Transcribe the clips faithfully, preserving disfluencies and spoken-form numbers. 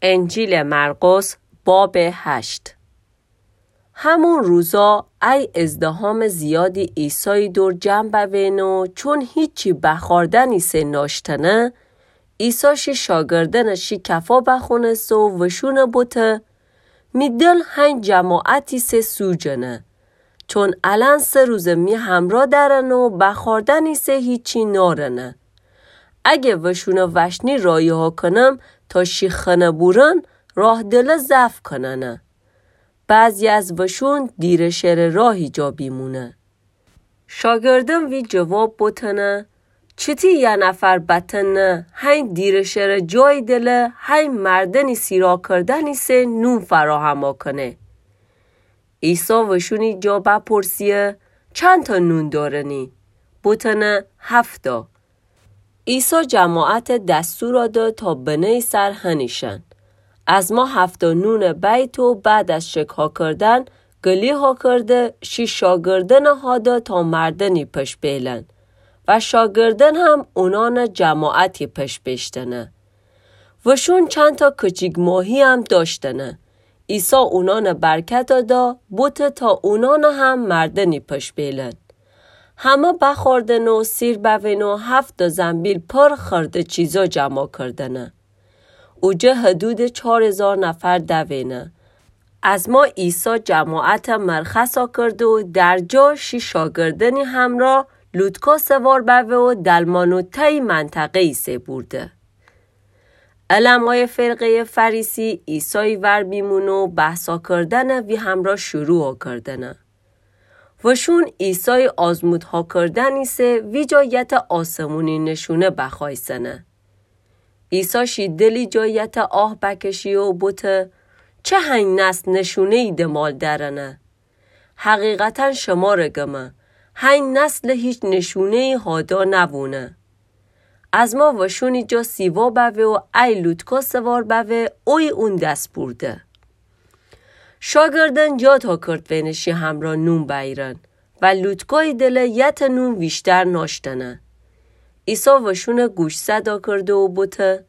انجیلٚ مرقس، بابٚ هشت. همون روزا ای ازدحامٚ زیادی عیسایٚ دور جمع بوینو، چون هیچی بخوردن ایسه ناشتنه، عیسی شی شاگردأنٚ شی کفا بخونسته و وشونه بوته: می دل هین جماعت ایسه سوجنه، چون الأن سه روزه می همرأ درن و بخوردن ایسه هیچی نارنه. اگه وشونه وشنی راهی‌ها کنم تا شی خنه بورن، راه دله ضعف کننه. بعضی از وشون دیره شئره راهی جا بیمونه. شاگردأن وی جواب بوتنه: چتی یه نفر بتنه هین دیره شئره جایی دله هین مردنی سیرا کردن ایسه نون فراهما کنه؟ عیسی وشونی جا بپرسیه: چندتا نون دارنی؟ بوتنه: هفتا. عیسی جماعت دستور ده تا بنه‌یٚ سر هنیشن. از ما هفتا نون بیت و بعد از شکرها کردن، گلی‌ها کرده شی شاگردأنه هاده تا مردنی پش بیلن و شاگردأن هم اونانه جماعتی پش بیشتنه. وشون چندتا کچیک ماهی هم داشتنه. عیسی اونانه برکت دا، بوته تا اونانه هم مردنی پش بیلن. همه بخوردن و سیر بوین و هفتا زنبیل پر خورده چیزا جمع کردنه. اوجه حدودٚ چار هیزار نفر دوینه. از ما عیسی جماعت مرخصا کرده و در جا شی شاگردأنی همرأ لوتکا سوار بوه و دلمانو تأیی منطقه ایسه بورده. علمای فرقه‌یٚ فریسی عیسایٚ ور بیمونه و بحثا کردنه وی همرأ شروعا کردنه. وشون عیسایٚ آزمودها کردن ایسه ویجا یته آسمونی نشونه بخوایسنه. عیسی شی دلی جا یته آه بکشی و بوته: چه هین نسل نشونه‌یی دمال درنه؟ حقیقتا شمره گمه، هین نسل هیچ نشونه‌یی هادا نوونه. از ما وشونی جا سیوا بوه و ای لوتکا سوار بوه، اویه اون دس بورده. شاگردأن جا تا کرد وینه شی همرأ نون بأیرن و لوتکایٚ دله یته نون ویشتر ناشتنه. عیسی وشونه گوشزدا کرده و بوته: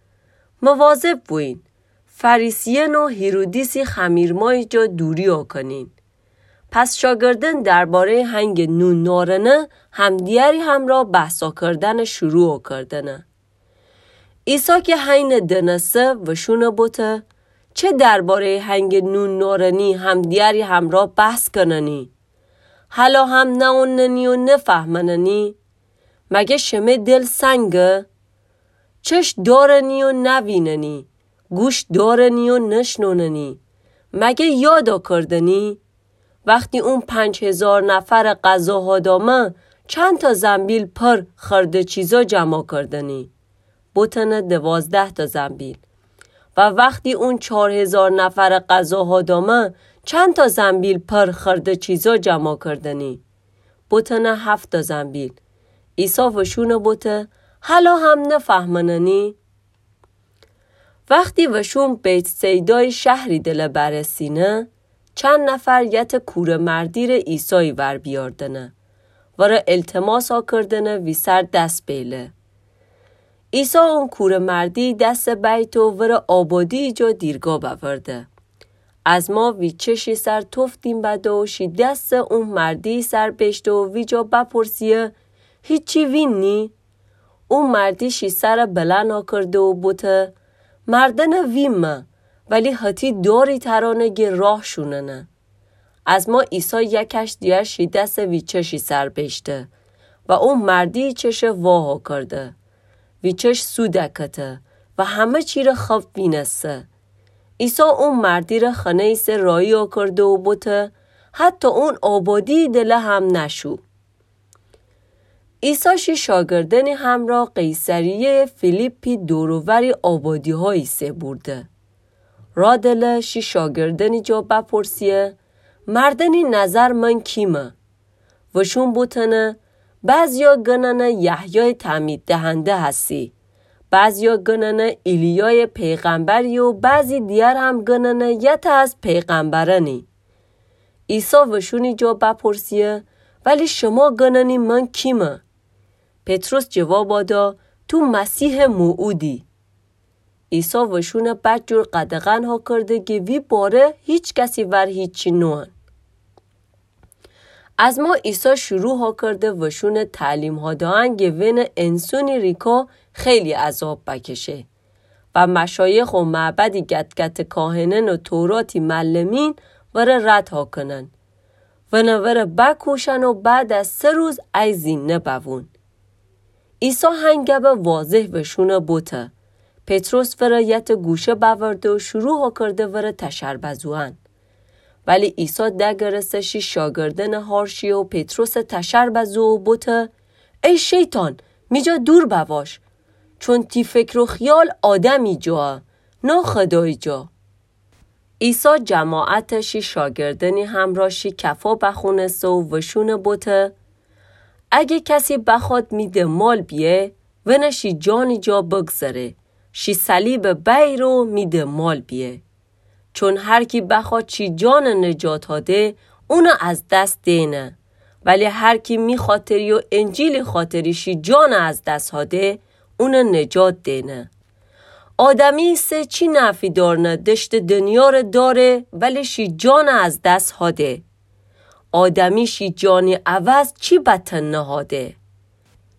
مواظب بوین، فریسیأن و هیرودیسی خمیرمایٚ جا دوریا کنین. پس شاگردأن درباره‌یٚ هنگٚ نون نارنه همدیگری همرأ بحثا کردنه شروعا کردنه. عیسی کی هینه دنسه وشونه بوته: چه درباره‌یٚ هنگٚ نون نارنی همدیگری همرأ بحث کننی؟ هلا هم نئوننی و نفهمننی؟ مگه شمه دل سنگه؟ چشم دارنی و نویننی، گوش دارنی و نشنوننی، مگه یادا کردنی؟ وختی اون پنج هیزار نفر غذا هادامه، چندتا زنبیل پر خورده چیزا جمع کردنی؟ بوتنه دوازده‌تا زنبیل. و وختی اون چار هیزار نفر غذا هادامه، چندتا زنبیل پر خورده چیزا جمع کردنی؟ بوتنه هفت‌تا زنبیل. عیسی وشونه بوته: هلا هم نفهمننی؟ وختی وشون بیت‌صیدای شهری دله برسینه، چند نفر یته کوره‌مردی ره عیسای ور بیاردنه، وره التماسا کردنه ویسر دس بیله. عیسی اون کوره‌مردی دس بیته و وره آبادی جا دیرگاه بأورده. از ما وی چشی سر توف دیم بده و شی دس اون مردی سر بیشته و ویجا بپرسیه: هیچی ویننی؟ اون مردی شی سر بلند کرده و بوته: مردن ویمه، ولی هتی داری ترانه گه راه شوننه. از ما عیسی یکش دیگر شی دس وی چشی سر بیشته و اون مردی چشه واها کرده. وی چش سو دکته و همه چی ره خب وینسه. عیسی اون مردی ره خنه‌یی سه راهی کرده و بوته: حتی اون آبادی دله هم نشو. عیسی شی شاگردنی همرا قیصریه فیلیپی دور و وری آبادی‌هایی سه بورده. را دله شی شاگردنی جا بپرسیه: مردنی نظر من کیمه؟ وشون بوتنه: بعضیا گننه یحیای تعمید دهنده هسی، بعضیا گننه ایلیای پیغمبری و بعضی دیگر هم گننه یته از پیغمبرنی. عیسی وشونی جا بپرسیه: ولی شما گننی من کیمه؟ پطرس جوابا دا: تو مسیح موعودی. عیسی وشونٚ بدجور قدغن هاکرده گه وی باره هیچ کسی ور هیچی نوئن. از ما عیسی شروع هاکرده وشونٚ تعلیم هادئن گه وینه انسونی ریکا خیلی عذاب بکشه و مشایخ و معبدی گتگتٚ کاهنأن و توراتی معلمین وره رد هاکنن. ونه وره بکوشن و بعد از سه روز ای زینده بوون. عیسی هنگبه واضح وشونه بوته. پطرس وره یته گوشه بأورده و شروع هاکرده وره تشر بزوئن. ولی عیسی دگرسه شی شاگردأنٚ هار شی و پطرسه تشر بزو و بوته: ای شیطان، می جا دور بواش، چون تی فکر و خیال آدمی جا، نه خدای جا. عیسی جماعته شی شاگردأنی همرا شی کفا بخونسه و وشونه بوته: اگه کسی بخواد می دنبال بیه، ونه شی جانی جا بگذره، شی صلیبه بأیره و می دنبال بیه. چون هر کی بخواد شی جانه نجات هاده، اونه از دس دئنه. ولی هر کی می خاطری و انجیلی خاطری شی جانه از دس هاده، اونه نجات دئنه. آدمی ایسه چی نفعی دارنه دشتٚ دنیاره داره ولی شی جانه از دس هاده؟ آدمی شی جانی عوض چی بتن نهاده؟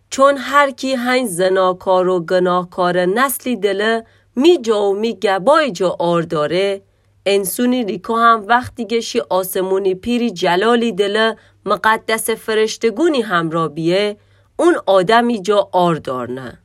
چون هر کی هنی زناکار و گناهکارٚ نسلی دله می جا و می گبای جا عار داره، انسونی ریکا هم وختی گه شی آسمونی پیری جلالی دله مقدسٚ فرشتگونی همرا بیه، اون آدمی جا عار دارنه.